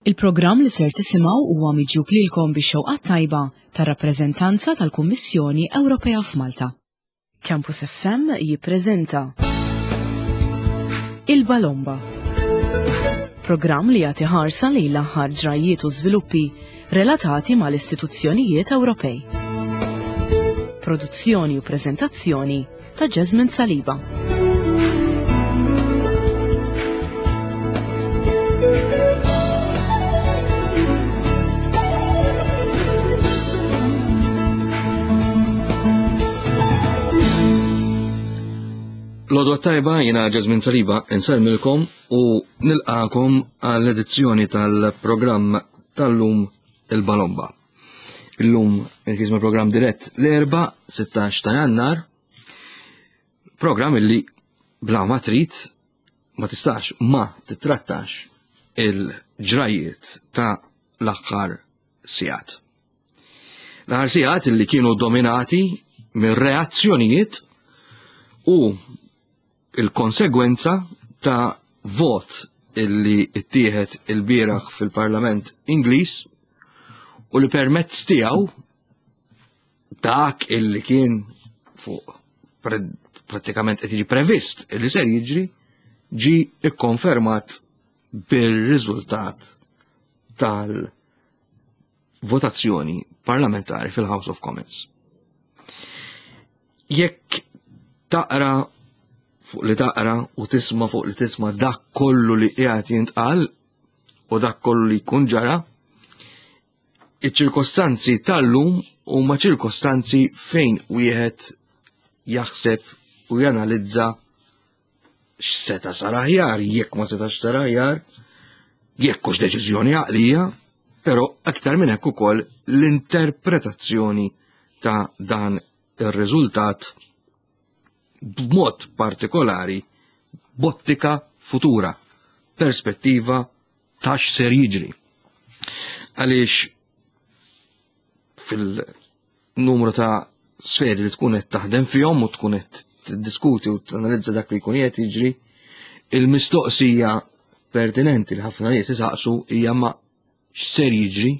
Il-programm li ser tisimgħu huwa miġjub lilkom bix-xewqat tajba tar-rappreżentanza tal-Kummissjoni Ewropea f'Malta. Campus FM jippreżenta Il-Balomba. Programm li jagħti ħarsa lejn l-aħħar ġrajjiet u żviluppi relatati mal-istituzzjonijiet Ewropej. Produzzjoni u preżentazzjoni ta' Jasmine Saliba. L-għodwa tajba jina Jasmine Saliba insellmilkom u nilqakom għall-edizzjoni tal-programm tal-lum il-Balomba. Illum il-kisma program dirett l-erba 16 ta' jannar, program illi bla ma trid ma tistax ma titrattax il-ġrajiet ta' l-aħħar sigħat. L-aħħar sigħat illi kienu dominati mir reazzjonijiet u il-konsegwenza ta' vot illi ittieħed il-bieraħ fil-Parlament Ingliż u li permezz tiegħu dak illi kien fuq prattikament qed jiġi previst illi ser jiġri ġi ikkonfermat bir-riżultat tal-votazzjoni parlamentari fil-House of Commons. Jekk taqra fuq li taqra u tisma fuq li tisma dak kollu li qiegħed jintqal u dak kollu li jkun ġara, iċ-ċirkostanzi tal-lum huma ċirkostanzi fejn wieħed jaħseb u janalizza x'seta' sar aħjar, jekk ma setax sar aħjar, jekk hux deċiżjoni għaqlija, però aktar minn hekk ukoll l-interpretazzjoni ta' dan ir-riżultat b'mod partikolari b'ottika futura, perspettiva ta' x'ser jiġri. Għaliex fil-numru ta' sferi li tkun qed taħdem fihom u tkun qed tiddiskuti u tanalizza dak li jkun qed jiġri, il-mistoqsija pertinenti li ħafna nies isaqsu hija ma x'ser jiġri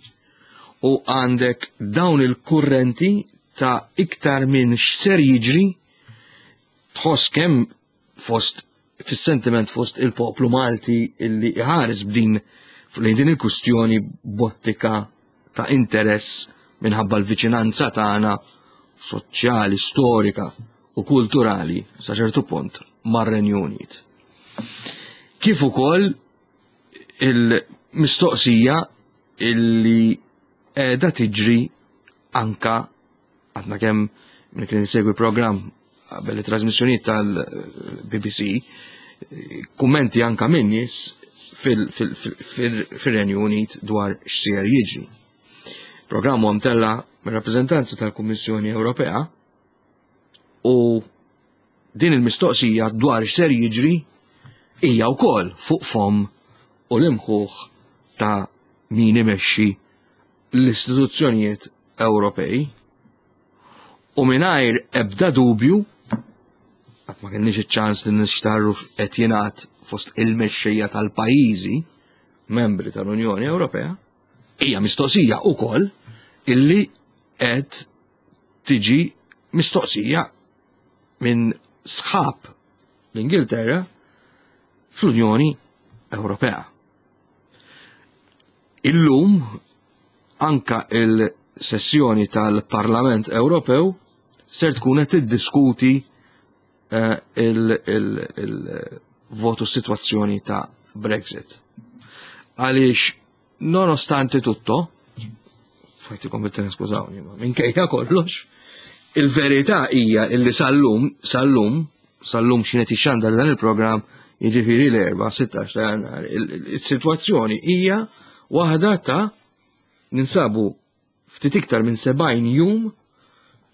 u għandek dawn il-kurrenti ta' iktar minn x'ser jiġri tħoss kemm fost fis-sentiment fost il-poplu Malti illi iħares b'din lejn din il-kustjoni bottika ta' interess minħabba l-viċinanza tagħna soċjali, storika u kulturali sa ċertu punt mar-Renju Unit. Kif ukoll il-mistoqsija illi qiegħda tiġri anka għadna kemm minn kien insegwi programm qabel it-trasmissjonijiet tal-BBC, kummenti anka minn nies fil-Renju Unit dwar x'ser jiġri. Programm huwa mtella mir-rappreżentanza tal-Kummissjoni Ewropea u din il-mistoqsija dwar x'ser jiġri hija wkoll fuq fom u l-imħuħ ta' min imexxi l-istituzzjonijiet Ewropej u mingħajr ebda dubju qatt ma kenniex iċ-ċans li nixtarru qed jingħad fost il-mexxejja tal-pajjiżi membri tal-Unjoni Ewropea, hija mistoqsija wkoll illi qed tiġi mistoqsija minn sħab l-Ingilterra fl-Unjoni Ewropea. Illum anka il-sessjoni tal-Parlament Ewropew ser tkun qed tiddiskuti eh, il-votu situazzjoni ta' Brexit. Għaliex nonostante tutto, fajtikom bit skużawni, ma minkejja kollox, il-verità hija illi sal-lum, sal-lum, sal-lum x'inhet ixxandar dan il-programm, jiġifieri l-erba' 16 ta' jannar, il-sitwazzjoni hija waħda ta' ninsabu ftit iktar minn 70 jum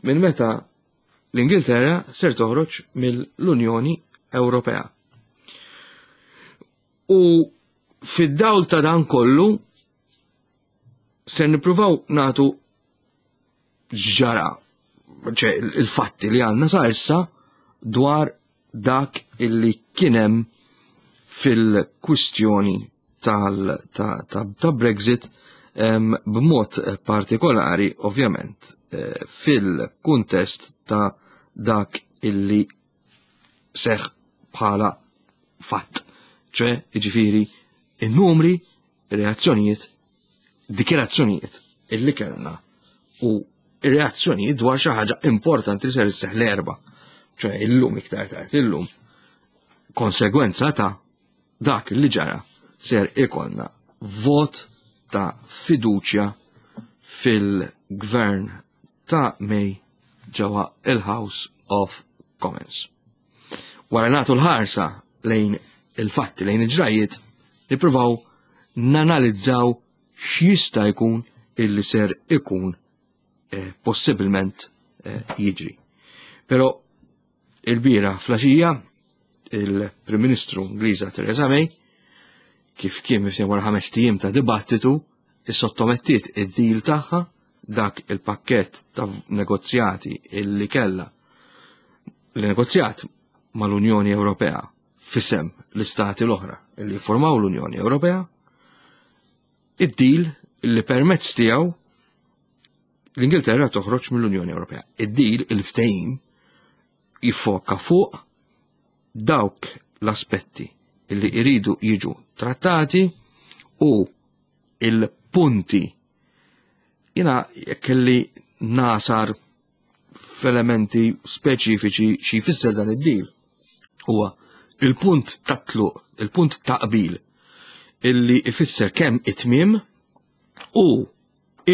minn meta l-Ingilterra ser toħroġ mill-Unjoni Ewropea. U fid-dawl ta' dan kollu ser nippruvaw nagħtu ġara, ċe il-fatti li għandna sa issa dwar dak illi kienem fil-kwistjoni tal ta', ta, ta Brexit b'mod partikolari ovvjament eh, fil-kuntest ta' dak illi seħ bħala fatt. ċe, ġifiri, il-numri, reazzjonijiet, dikjerazzjonijiet illi kellna u reazzjonijiet dwar xi ħaġa importanti li ser isseħ l-erba. ċe, illum iktar tard illum konsegwenza ta' dak li ġara ser ikollna vot ta' fiduċja fil-gvern ta' May ġewwa il-House of Commons. Wara nagħtu l-ħarsa lejn il-fatti lejn il-ġrajiet, nippruvaw nanalizzaw x'jista' jkun illi ser ikun eh, possibilment eh, jiġri. Però il-bira flaxija il-Prim Ministru Ingliża Theresa May kif kien mifsien wara ħames tijiem ta' dibattitu issottomettiet id-deal tagħha dak il-pakkett ta' negozjati illi kella li negozjat mal-Unjoni Ewropea fisem l-istati l-oħra illi formaw l-Unjoni Ewropea, id-deal illi permezz tiegħu l-Ingilterra toħroġ mill-Unjoni Ewropea. Id-deal, il-ftehim, jiffoka fuq dawk l-aspetti illi iridu jiġu trattati u il-punti jina kelli nasar f'elementi speċifiċi xi jfisser dan id-deal. Huwa il-punt ta' tluq, il-punt ta' qbil illi ifisser kemm it-tmiem u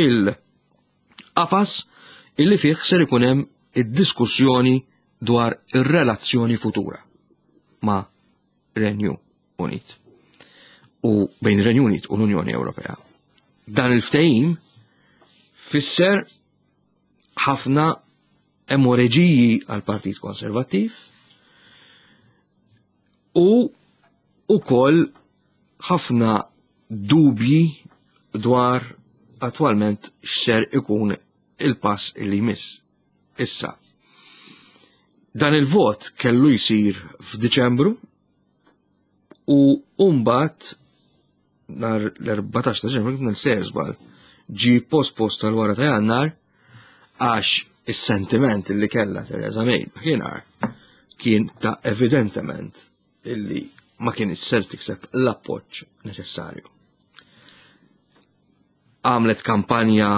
il-qafas illi fih ser ikun hemm id-diskussjoni dwar ir-relazzjoni futura ma' Renju Unit u bejn Renju Unit u l-Unjoni Ewropea. Dan il-ftehim fisser ħafna emoreġiji għal Partit Konservattiv u ukoll ħafna dubji dwar attwalment x'ser ikun il-pass li jmiss. Issa, dan il-vot kellu jsir f'Diċembru u mbagħad nhar l-14 ta' Ġenwar kif sejjer żball ġi post-post tal-wara ta' Jannar għax is-sentiment li kellha Theresa May dakinhar kien ta' evidentement illi ma kienx ser tikseb l-appoġġ neċessarju. Għamlet kampanja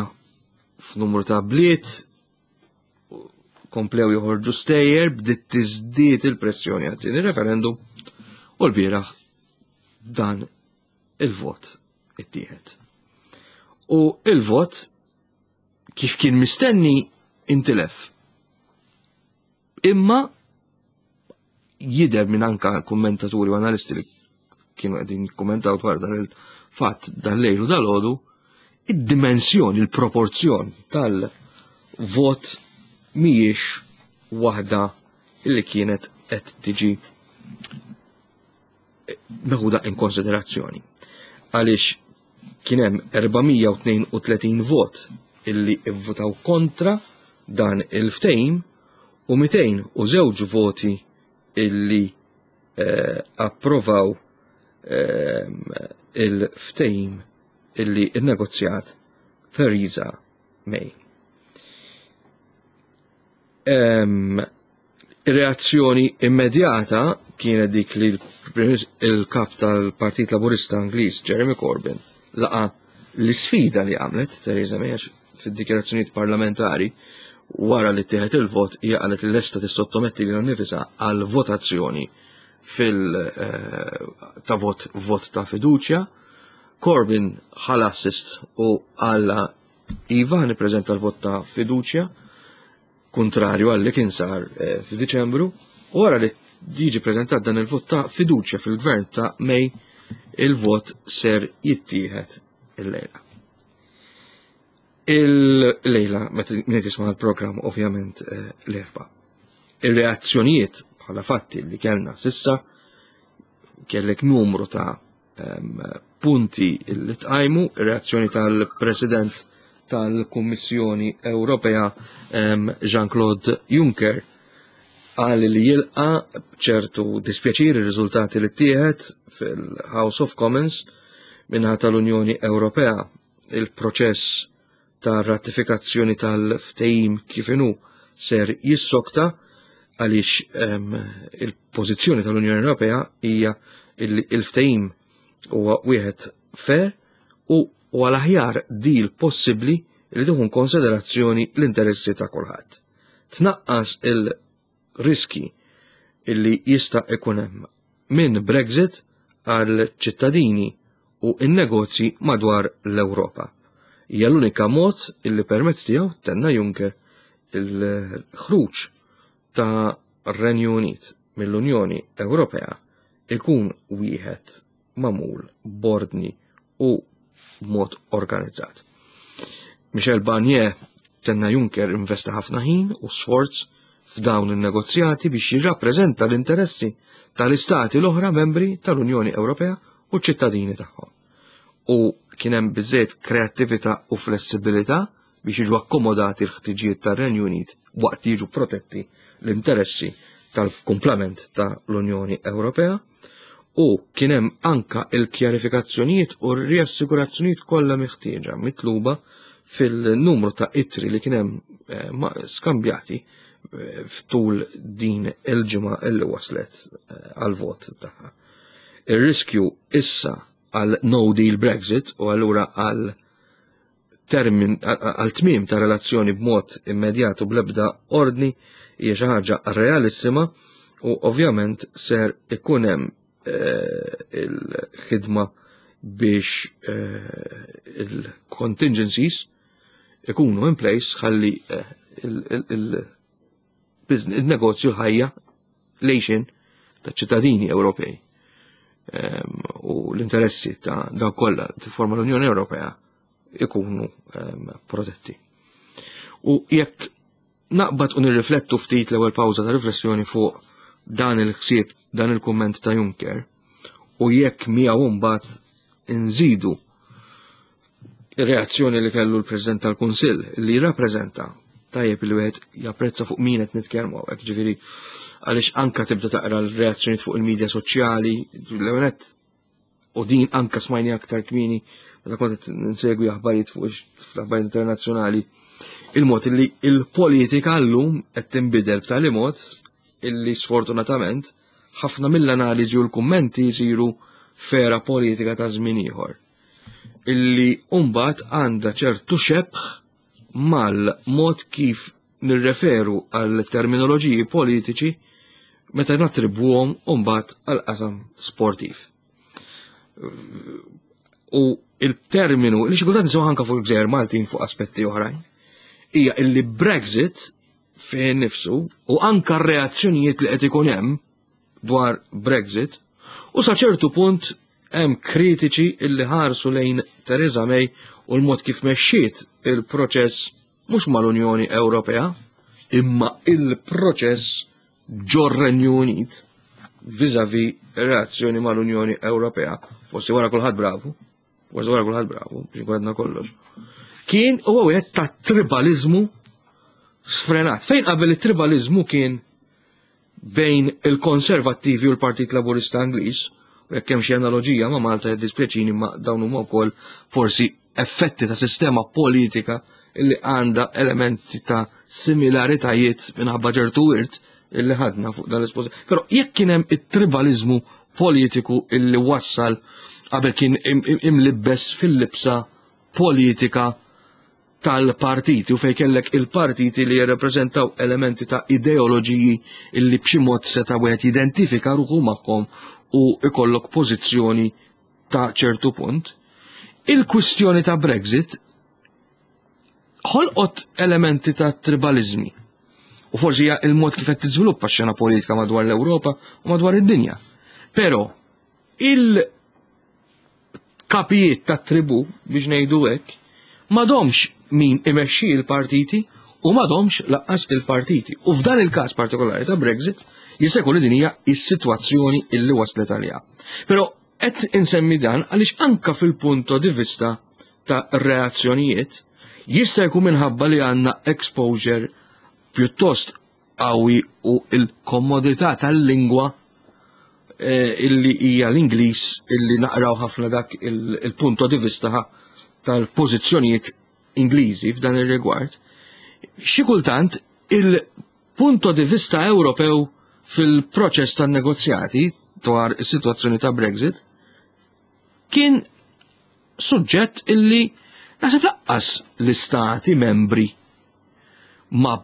f'numru ta' bliet, komplew joħorġu stejjer, bdiet tiżdied il-pressjoni għat-tieni referendum u l-bieraħ dan il-vot ittieħed. U il-vot kif kien mistenni intilef. Imma jidher minn anka kummentaturi u analisti li kienu qegħdin jikkummentaw dwar dan il-fatt dal-lejl u dal-għodu, id-dimensjoni, il-proporzjon tal-vot mhijiex waħda li kienet qed tiġi meħuda in konsiderazzjoni. Għaliex kien hemm 432 vot illi ivvutaw kontra dan il-ftehim u 202 voti illi eh, approvaw eh, il-ftehim illi innegozjat Theresa May. Ir-reazzjoni immedjata kienet dik li l-kap tal-Partit Laburista Ingliż Jeremy Corbyn laqa l-isfida li għamlet Theresa May għax fid-dikjarazzjonijiet parlamentari wara li ttieħed il-vot hija qalet li lesta tissottometti lilha nnifisha għal votazzjoni fil eh, ta' vot vot ta' fiduċja. Corbyn ħala assist u għalla iva nippreżenta l-vot ta' fiduċja kuntrarju għal li kien sar eh, f'Diċembru, u wara li jiġi preżentat dan il-vot ta' fiduċja fil-gvern ta' May, il-vot ser jittieħed il-lejla. Il-lejla, meta min jisma' l-programm ovvjament eh, l-erba. Ir-reazzjonijiet bħala fatti li kellna sissa kellek numru ta' punti li tqajmu, ir-reazzjoni tal-President tal-Kummissjoni Ewropea Jean-Claude Juncker qal li jilqa ċertu dispjaċir ir-riżultati li ttieħed fil-House of Commons. Minħa tal-Unjoni Ewropea il-proċess ta' ratifikazzjoni tal-ftehim kif inhu ser jissokta għaliex il-pożizzjoni tal-Unjoni Ewropea hija il-ftehim huwa wieħed fair u għal aħjar deal possibbli li tieħu konsiderazzjoni l-interessi ta' kulħadd. Tnaqqas il-riski illi jista' ikun hemm minn Brexit għal ċittadini u n-negozji madwar l-Ewropa. Hija l-unika mod illi permezz tiegħu tenna Juncker il-ħruġ ta' Renju Unit mill-Unjoni Ewropea ikun wieħed magħmul b'ordni u b'mod organizzat. Michel Barnier tenna Juncker investa ħafna ħin u sforz f'dawn in-negozjati biex jirrappreżenta l-interessi tal-istati l-oħra membri tal-Unjoni Ewropea u ċ-ċittadini tagħhom. U kien hemm biżejjed kreattività u flessibilità biex jiġu akkomodati l-ħtiġijiet tar-Renju Unit waqt li jiġu protetti l-interessi tal-kumplament tal-Unjoni Ewropea u kien hemm anka il-kjarifikazzjonijiet u r-riassigurazzjonijiet kollha meħtieġa mitluba fil-numru ta' ittri li kien hemm eh, skambjati eh, ftul din il-ġimgħa illi waslet eh, għal-vot tagħha. Ir-riskju issa għal no deal Brexit u allura għal termin għal tmiem ta' relazzjoni b'mod immedjat u bl-ebda ordni hija xi ħaġa realissima u ovvjament ser ikun hemm eh, il-ħidma biex eh, il-contingencies ikunu in place ħalli eh, il-negozju l-ħajja lejxin ta' ċittadini Ewropej ehm, u l-interessi ta' dawk kollha tifforma l-Unjoni Ewropea ikunu ehm, protetti. U jekk naqbad u nirriflettu ftit l-ewwel pawża ta' riflessjoni fuq dan il-ħsieb, dan il-kumment ta' Juncker, u jekk miegħu mbagħad inżidu ir-reazzjoni li kellu l-President tal-Kunsill li jirrappreżenta tajjeb li wieħed japprezza fuq min qed nitkellmu hawnhekk, ġifieri għaliex anka tibda taqra l-reazzjonijiet fuq il-medja soċjali, l-ewwel u din anka smajni aktar kmini meta kont qed nsegwi aħbarijiet fuq l-aħbarijiet internazzjonali, il-mod li il-politika llum qed tinbidel b'tali mod illi sfortunatament ħafna mill-analiżi u l-kummenti jsiru fera politika ta' żmien ieħor illi mbagħad għandha ċertu xebħ mal-mod kif nirreferu għal terminoloġiji politiċi meta nattribwhom mbagħad għal qasam sportiv. U il-terminu, li xi kultant nisimgħu anke fuq il-Gżejjer Maltin fuq aspetti oħrajn, hija illi Brexit fih nifsu u anka r-reazzjonijiet li qed ikun hemm dwar Brexit u sa ċertu punt hemm kritiċi illi ħarsu lejn Theresa May u l-mod kif mexxiet il-proċess mhux mal-Unjoni Ewropea imma il-proċess ġor-Renju Unit viżavi reazzjoni mal-Unjoni Ewropea. Forsi wara kulħadd bravu, forsi wara kulħadd bravu, biex nkun kollox. Kien huwa wieħed ta' tribalizmu sfrenat. Fejn qabel it-tribalizmu kien bejn il-Konservattivi u l-Partit Laburista Ingliż, u jekk hemm xi analoġija ma' Malta jiddispjaċini ma' dawn huma wkoll forsi effetti ta' sistema politika illi għandha elementi ta' similaritajiet minħabba ċertu wirt illi ħadna fuq dan l-espożi. Però jekk kien hemm it-tribalizmu politiku illi wassal qabel kien imlibbes fil-libsa politika tal-partiti u fejn kellek il-partiti li jirrepreżentaw elementi ta' ideoloġiji illi b'xi mod seta' wieħed jidentifika ruħu magħhom u ikollok pożizzjoni ta' ċertu punt. Il-kwistjoni ta' Brexit ħolqot elementi ta' tribalizmi. U forsi hija il-mod kif qed tiżviluppa x-xena politika madwar l-Ewropa u madwar id-dinja. Però il kapijiet ta' tribu biex ngħidu hekk m'għadhomx min imexxi l-partiti u m'għadhomx laqqas il-partiti. U f'dan il-każ partikolari ta' Brexit jista' jkun li din hija s-sitwazzjoni illi waslet għaliha. Però qed insemmi dan għaliex anka fil-punto di vista ta' reazzjonijiet jista' jkun minħabba li għandna exposure pjuttost qawwi u l-komodità tal-lingwa. eh, illi hija l-Ingliż illi naqraw ħafna dak il-punto di vista tal-pożizzjonijiet Ingliżi f'dan ir-rigward, xi kultant il-punto di vista Ewropew fil-proċess tan-negozjati dwar is-sitwazzjoni ta' Brexit kien suġġett illi naħseb laqqas l-istati membri ma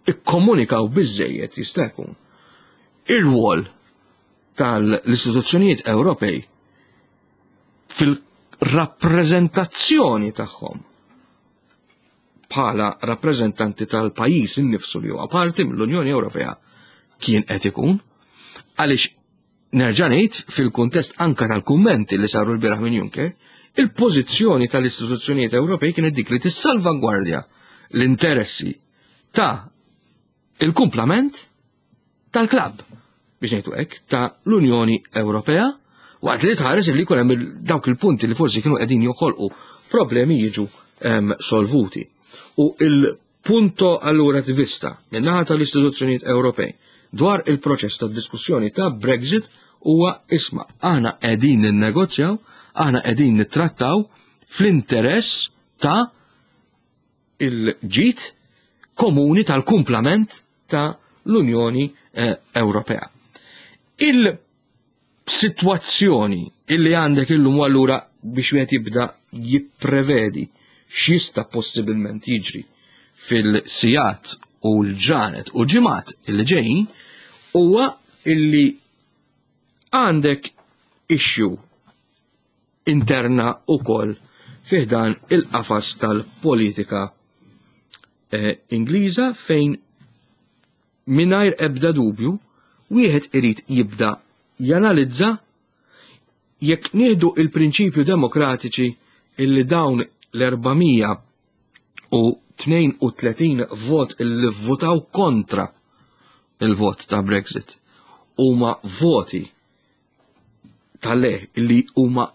ikkomunikaw biżejjed jista' jkun ir-rwol tal-istituzzjonijiet Ewropej fil-rappreżentazzjoni tagħhom bħala rappreżentanti tal-pajjiż innifsu li huwa parti mill-Unjoni Ewropea kien qed ikun għaliex nerġa' ngħid fil-kuntest anka tal-kummenti li saru l-bieraħ minn Juncker, il-pożizzjoni tal-istituzzjonijiet Ewropej kienet dik li tissalvagwardja l-interessi ta' il-kumplament tal-klabb biex ngħidu hekk ta' l-Unjoni Ewropea waqt li tħares li jkun hemm dawk il-punti li forsi kienu qegħdin joħolqu problemi jiġu solvuti. U il-punto allura di vista min-naħa tal-istituzzjonijiet Ewropej dwar il-proċess ta' diskussjoni ta' Brexit huwa isma' aħna qegħdin ninnegozjaw, aħna qegħdin nittrattaw fl-interess ta' il-ġid komuni tal-kumplament ta' l-Unjoni eh, Ewropea. Il-sitwazzjoni illi għandek illum allura biex wieħed jibda jipprevedi x'jista' possibilment jiġri fil-sijat u l-ġranet u ġimgħat illi ġejjin huwa illi għandek issue interna wkoll fi ħdan il-qafas tal-politika eh, Ingliża fejn mingħajr ebda dubju wieħed irid jibda janalizza jekk nieħdu il-prinċipju demokratiċi illi dawn l-432 vot illi votaw kontra il-vot ta' Brexit huma voti tal-le li huma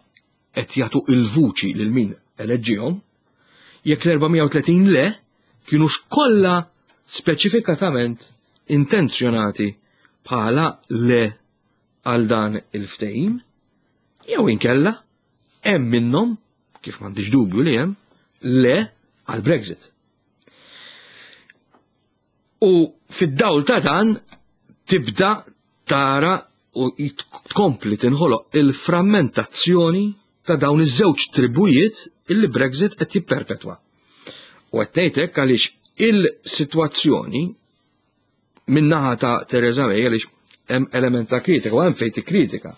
qed jagħtu il-vuċi lil min eleġġihom, jekk l-430 le kienux kollha speċifikatament intenzjonati bħala le għal dan il-ftehim, jew inkella hemm minnhom, kif m'għandix dubju li hemm, le għal Brexit. U fid-dawl ta' dan tibda tara u tkompli tinħoloq il-frammentazzjoni ta' dawn iż-żewġ tribujiet illi Brexit qed jipperpetwa. U qed ngħidlek għaliex il-sitwazzjoni min-naħa ta' Theresa May għaliex hemm element ta' kritika u hemm fejn tikkritika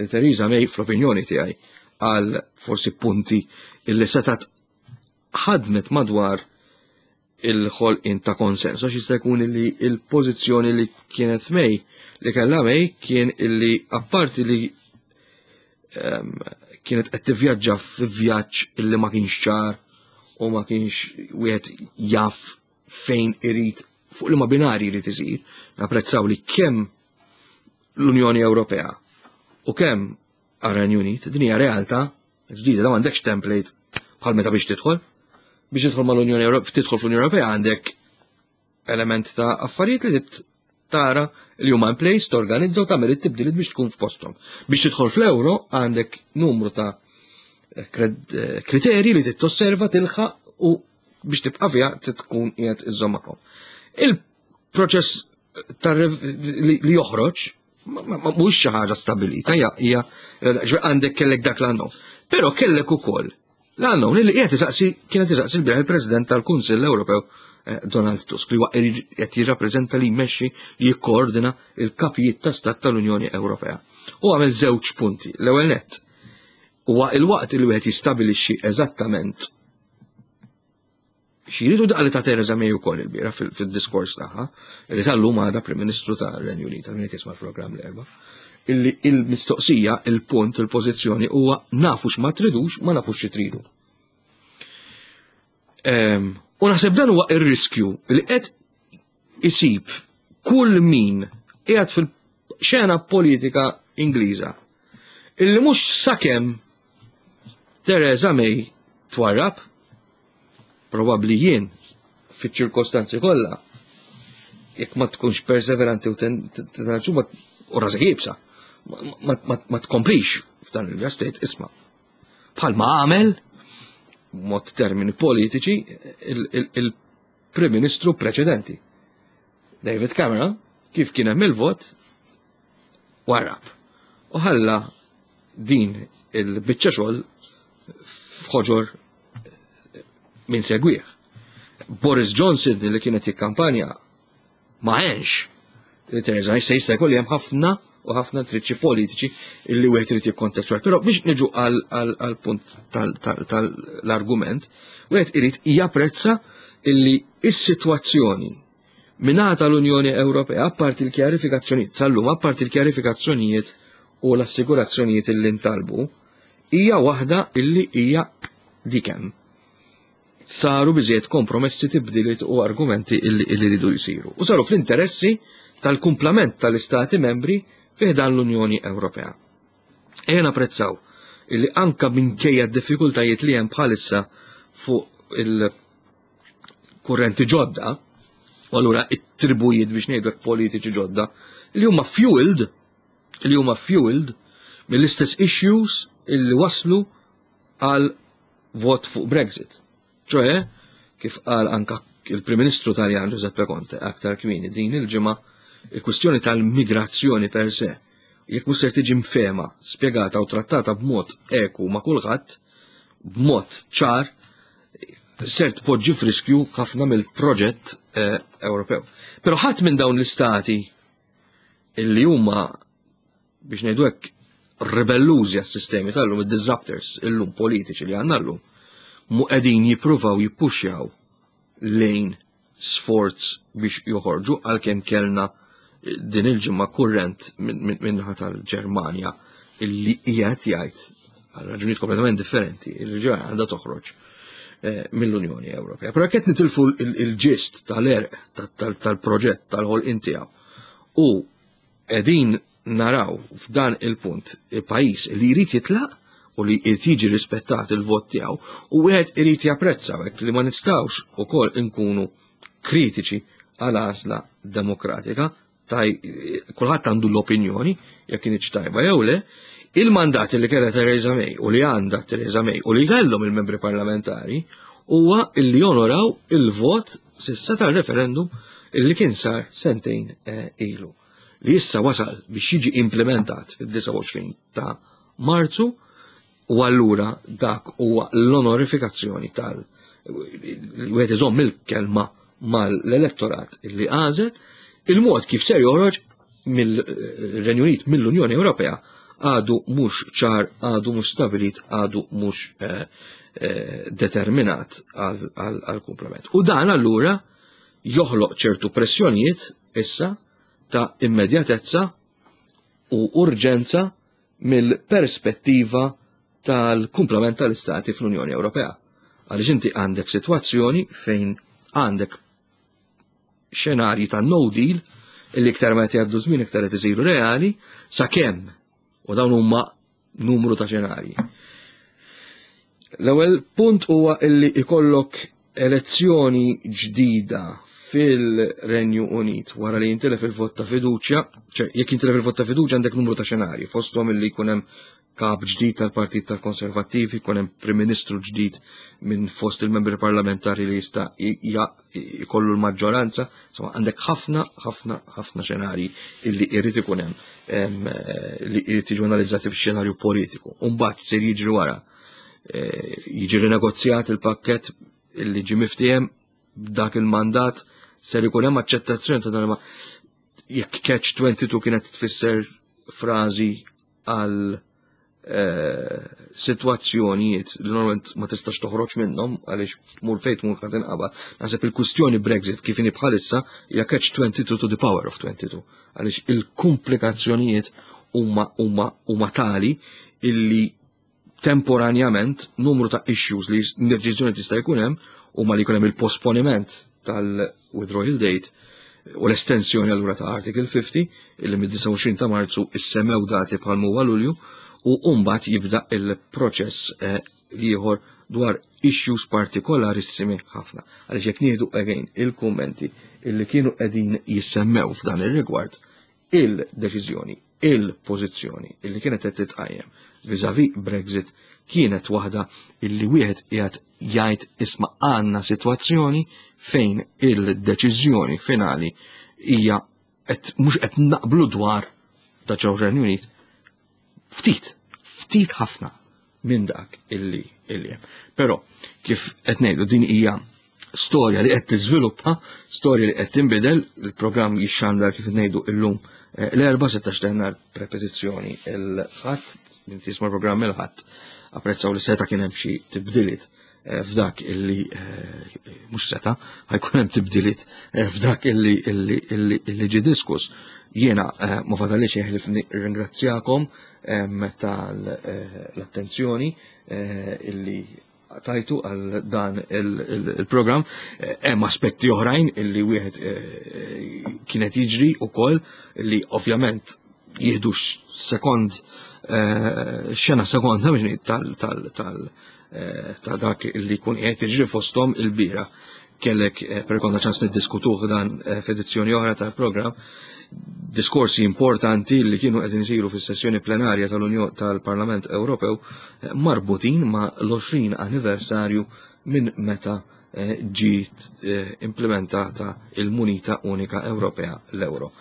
Theresa May fl-opinjoni tiegħi għal forsi punti illi setat ħadmet madwar il-ħolqien ta' konsens, għax jista' jkun li il-pożizzjoni li kienet May, li kellha May kien illi apparti li um, kienet qed tivvjaġġa f'vjaġġ illi ma kienx ċar u ma kienx wieħed jaf fejn irid fuq li ma binari jrid isir, napprezzaw li kemm l-Unjoni Ewropea u kemm għar-Renju Unit, din hija realtà ġdida, da m'għandekx template bħal meta biex tidħol. Biex tidħol mal-Unjoni Ewropea, tidħol fl-Unjoni Ewropea għandek element ta' affarijiet li tara li huma in place, torganizza u tagħmel it-tibdiliet biex tkun f'posthom. Biex tidħol fl-euro għandek numru ta' eh, kriterji li titosserva tilħaq u biex tibqa' fiha tkun qiegħed iżżomm Il-proċess li joħroġ mhux xi ħaġa stabilita, hija għandek kellek dak l-unknown. Però kellek ukoll l-unknown li qiegħed isaqsi kienet isaqsi l il-President tal-Kunsill Ewropew eh, Donald Tusk li huwa qed jirrappreżenta li jmexxi li jikkoordina il-kapijiet ta' stat tal-Unjoni Ewropea. U għamel żewġ punti. L-ewwel nett huwa il-waqt li wieħed jistabilixxi eżattament Xiridu daqli ta' Theresa May ukoll il-biera fil-diskors tagħha, li tal-lum għadha Prim Ministru ta' Renju Unit, għal min jisma' l-programm l-erba. Illi il-mistoqsija, il-punt, il-pożizzjoni huwa nafu x'ma tridux, ma nafux xi tridu. Ehm, u naħseb dan huwa ir-riskju li qed isib kull min qiegħed fil-xena politika Ingliża illi mhux sakemm Theresa May twarrab, probabbli jien fiċ-ċirkostanzi kollha, jekk ma tkunx perseveranti u tenħarġu u rasek jibsa. Ma tkomplix f'dan il-vjaġġ tgħid isma' bħalma għamel mod termini politiċi il-Prim Ministru preċedenti. David Cameron, kif kien hemm il-vot, warrab. U ħalla din il-biċċa xogħol f'ħoġor min segwih. Boris Johnson li kienet jikkampanja ma għenx li Theresa May se jista' jkolli hemm ħafna u ħafna triċċi politiċi illi wieħed irid jikkontettwar. Però biex niġu għal punt tal-argument, wieħed irid japprezza illi is-sitwazzjoni mingħata l-Unjoni Ewropea, apparti l-kjarifikazzjonijiet, sal-lum, apparti l-kjarifikazzjonijiet u l-assigurazzjonijiet illi ntalbu, hija waħda illi hija dik hemm. Saru biżejjed kompromessi, tibdiliet u argumenti illi rridu jsiru. U saru fl-interessi tal-kumplament tal-istati membri fi ħdan l-Unjoni Ewropea. Ejja napprezzaw illi anka minkejja d-diffikultajiet li hemm bħalissa fuq il-kurrenti ġodda, u allura it-tribujiet biex ngħidu politiċi ġodda, li huma fueled, li huma fueled mill-istess issues illi waslu għal vot fuq Brexit. ċoħe, kif qal anka il-Prim Ministru Taljan Giuseppe Conte aktar kmieni din il-ġimgħa, il-kwistjoni tal-migrazzjoni per se, jekk mhux ser tiġi mfehma, spjegata u trattata b'mod eku ma' kulħadd, b'mod ċar, ser tpoġġi f'riskju ħafna mill-proġett eh, Ewropew. Però ħadd minn dawn l-istati illi huma biex ngħidu hekk ribellużi għas-sistemi tal-lum, id-disruptors illum politiċi li għandna llum, mu qegħdin jippruvaw jippuxjaw lejn sforz biex joħorġu għalkemm kellna din il-ġimgħa kurrent minnaħa tal-Ġermanja illi qiegħed jgħid għal raġunijiet kompletament differenti il ġermanja għandha toħroġ eh, mill-Unjoni Ewropea. Però qed nitilfu il-ġist tal-erq tal-proġett tal-ħolqien tiegħu u Qegħdin naraw f'dan il-punt pajjiż li jrid jitlaq u li jrid jiġi rispettat il-vot tiegħu u wieħed irid japprezza hekk li ma nistgħux ukoll inkunu kritiċi għal għażla demokratika taj kulħadd għandu l-opinjoni jekk kienx tajba jew le, il-mandat li kellha Theresa May u li għandha Theresa May u li kellhom il-membri parlamentari huwa li jonoraw il-vot sissa tal-referendum illi kien sar sentejn eh, ilu li issa wasal biex jiġi implementat fid-29 ta' Marzu u allura dak huwa l-onorifikazzjoni tal wieħed iżomm il-kelma mal-elettorat illi għażel il-mod kif ser joħroġ mill-Renju Unit mill-Unjoni Ewropea għadu mhux ċar, għadu mhux stabilit, għadu mhux eh, eh, determinat għal-komplement. U dan allura joħloq ċertu pressjonijiet issa ta' immedjatezza u urġenza mill-perspettiva tal-kumplament tal-istati fl-Unjoni Ewropea. Għaliex inti għandek sitwazzjoni fejn għandek xenarji ta' no deal illi iktar ma jgħaddu żmien iktar qed isiru reali sakemm u dawn huma numru ta' xenarji. L-ewwel punt huwa illi ikollok elezzjoni ġdida fil-Renju Unit wara li jintilef il-vot ta' fiduċja, ċe jekk jintilef il-vot ta' fiduċja għandek numru ta' xenarji, fosthom illi jkun hemm kap ġdid tal-Partit tal-Konservattivi, jkun hemm Prim Ministru ġdid minn fost il-membri parlamentari li jista' jkollu l-maġġoranza, insomma għandek ħafna, ħafna, ħafna xenarji illi jrid ikun hemm li jrid jiġu analizzati fix-xenarju politiku. U mbagħad ser jiġri wara eh, jiġi rinegozjat il-pakkett illi ġi miftiehem b'dak il-mandat ser ikun hemm aċċettazzjoni ta' dan jekk catch 22 kienet tfisser frażi għal eh, sitwazzjonijiet li normalment ma tistax toħroġ minnhom għaliex tmur fejn tmur qed inqabad. Naħseb il-kwistjoni Brexit kif inhi bħalissa hija catch 22 to the power of 22 għaliex il-komplikazzjonijiet huma huma huma tali illi temporanjament numru ta' issues li deċiżjoni tista' jkun hemm huma li jkun hemm il-posponiment tal-withdrawal date u l-estensjoni allura ta' Article 50 illi mid-29 ta' Marzu issemmew dati bħal huwa Lulju u mbagħad jibda il-proċess eh, ieħor dwar issues partikolarissimi ħafna. Għaliex jekk nieħdu again il-kummenti illi kienu qegħdin jissemmew f'dan ir-rigward il-deċiżjoni. il-pożizzjoni illi kienet qed titqajjem vis-à-vis Brexit kienet waħda illi wieħed qiegħed jgħid isma' għandna sitwazzjoni fejn il-deċiżjoni finali hija qed mhux qed naqblu dwar ta' ġew Renju Unit ftit, ftit ħafna minn dak illi illi hemm. Però kif qed ngħidu din hija storja li qed tiżviluppa, storja li qed tinbidel, il-programm jixxandar kif ngħidu illum eh, l-erba' 16 ta' nhar prepetizzjoni il-ħadd, min tisma' programm il-ħadd, apprezzaw li seta' kien hemm xi tibdiliet eh, f'dak illi eh, mhux seta' ħajkun hemm tibdiliet f'dak illi illi illi ġie diskuss. Jiena ma fadalix jeħlif ringrazzjakom tal-attenzjoni illi tajtu għal dan il-programm. Eh, hemm aspetti oħrajn illi wieħed eh, kienet jiġri ukoll li ovvjament jieħdu sekond eh, xena sekonda biex tal tal tal ta' dak li jkun qiegħed jiġri fosthom il-bira. Kellek per konna ċans niddiskutuh dan f'edizzjoni oħra tal-programm diskorsi importanti li kienu qed isiru fis-sessjoni plenarja tal-Unjoni tal-Parlament Ewropew eh, marbutin ma' l-20 anniversarju minn meta eh, ġiet eh, implementata il-munita unika Ewropea l-euro.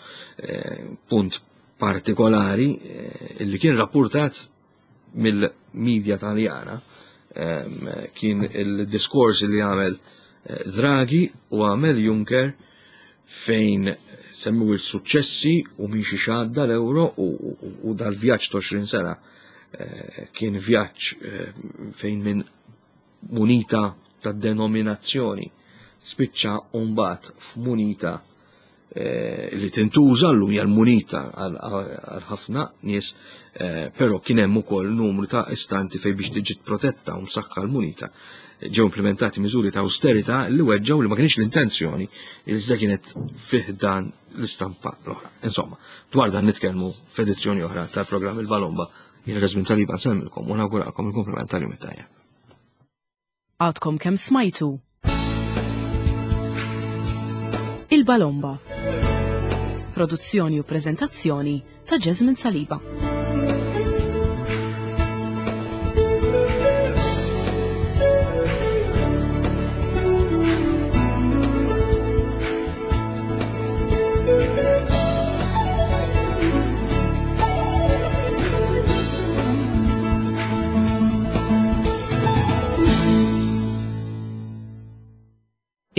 Punt partikolari li kien rapportat mill-medja taljana ehm, kien il-diskors li għamel eh, Draghi u għamel Juncker fejn semmu il-suċċessi u minn xi xadda l-euro u dal-vjaġġ ta' 20 sena eh, kien vjaġġ eh, fejn minn munita ta' denominazzjoni spiċċa mbagħad f'munita eh, li tintuża llum hija l-munita għal ħafna nies, eh, però kien hemm ukoll numru ta' istanti fejn biex tiġi protetta u msaħħa l-munita ġew implementati miżuri ta' austerità li weġġew li ma kienx l-intenzjoni iżda kienet fih dan l-istampa l-oħra. Insomma, dwar dan nitkellmu f'edizzjoni oħra tal-programm il-Balomba Jien Resmin Saliba nsellmilkom u nawguralkom il-kumplament tal-jum it-tajjeb. Għadkom kemm smajtu Il-Balomba. Produzzjoni u preżentazzjoni ta' Jasmine Saliba.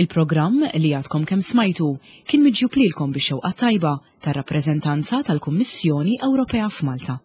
Il-programm li għadkom kemm smajtu kien miġjub lilkom bix-xewqa tajba tar-rappreżentanza tal-Kummissjoni Ewropea f'Malta.